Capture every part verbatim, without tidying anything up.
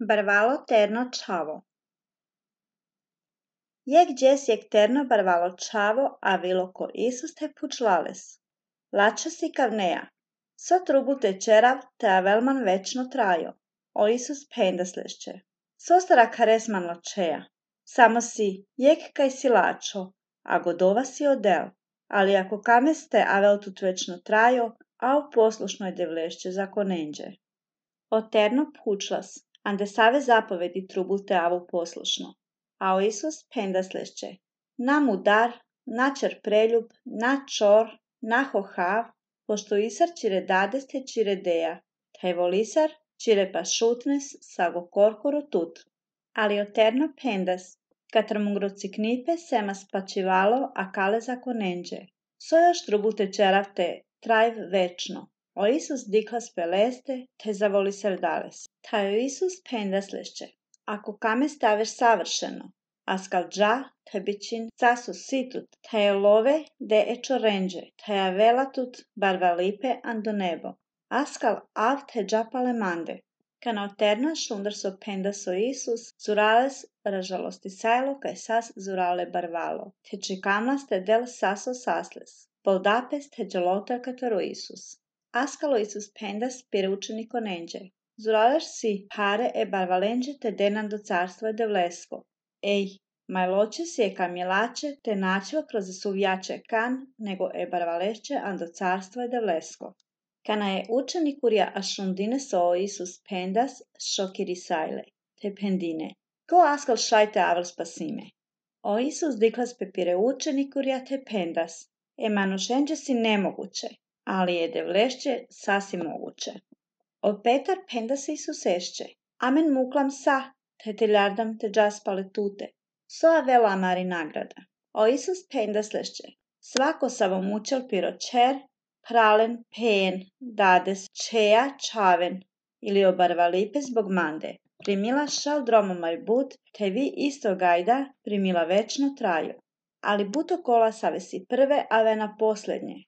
Barvalo terno čavo. Jek džes jek terno barvalo čavo, a vilo ko Isus te pučlales. Lača si kavneja. So trubu te čerav te a velman večno trajo. O Isus pendaslešće. So stara karesman ločeja. Samo si jek kaj si lačo, a godova si odel. Ali ako kames te a vel tut večno trajo, a u poslušnoj devlešće zakonenđe. O terno pučlas. Ande save zapovedi trubu te avu poslušno. A o Isus pendaslešće. Na mudar, na čer preljub, na čor, na hohav, pošto isar čire dades te čire deja, taj volisar čire pa šutnes sago korkoro tut. Ali o terno pendas, katar mungroci knipe semas pačivalo a kale zakonenđe. So još trubu te čeravte trajv večno. O Isus diklas peleste, te zavoli serdales. Taj o Isus pendaslešće. Ako kame staveš savršeno, a skal dža, te bićin casu situt, taj je love de ečo renđe, taj je velatut barva lipe ando nebo. Askal av te dža palemande. Kana oterna šundar so pendas o Isus, zurales ražalosti sajlo kaj sas zurale barvalo. Te čikamlas te del saso sasles. Poldapes te džalotar kataru Isus. Askalo Isus pendas pire učeniko nenđe. Zuraleš si pare e barvalenđe te denan do carstvo je devlesko. Ej, majloče si je kamjelače te načiva kroz suvjače kan, nego e barvalešće ando carstvo je devlesko. Kana je učenik urja a šundine so o Isus pendas šokiri sajle, te pendine. Ko askal šajte avel spasime. O Isus diklas pe pire učenik urja te pendas. E manušenđe si nemoguće, ali je devlešće sasi moguće. O Petar pendas Isus ešće. Amen muklam sa, te te ljardam te džaspale tute. So a vela amari nagrada. O Isus pendaslešće. Svako savo mučel piro čer, pralen, pen, dades, čeja, čaven, ili obarva lipe zbog mande. Primila šal dromomaj but, te vi isto gajda primila večno traju. Ali buto kola savesi prve, a vena posljednje.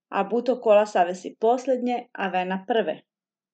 A buto kola savesi posljednje, a vena prve.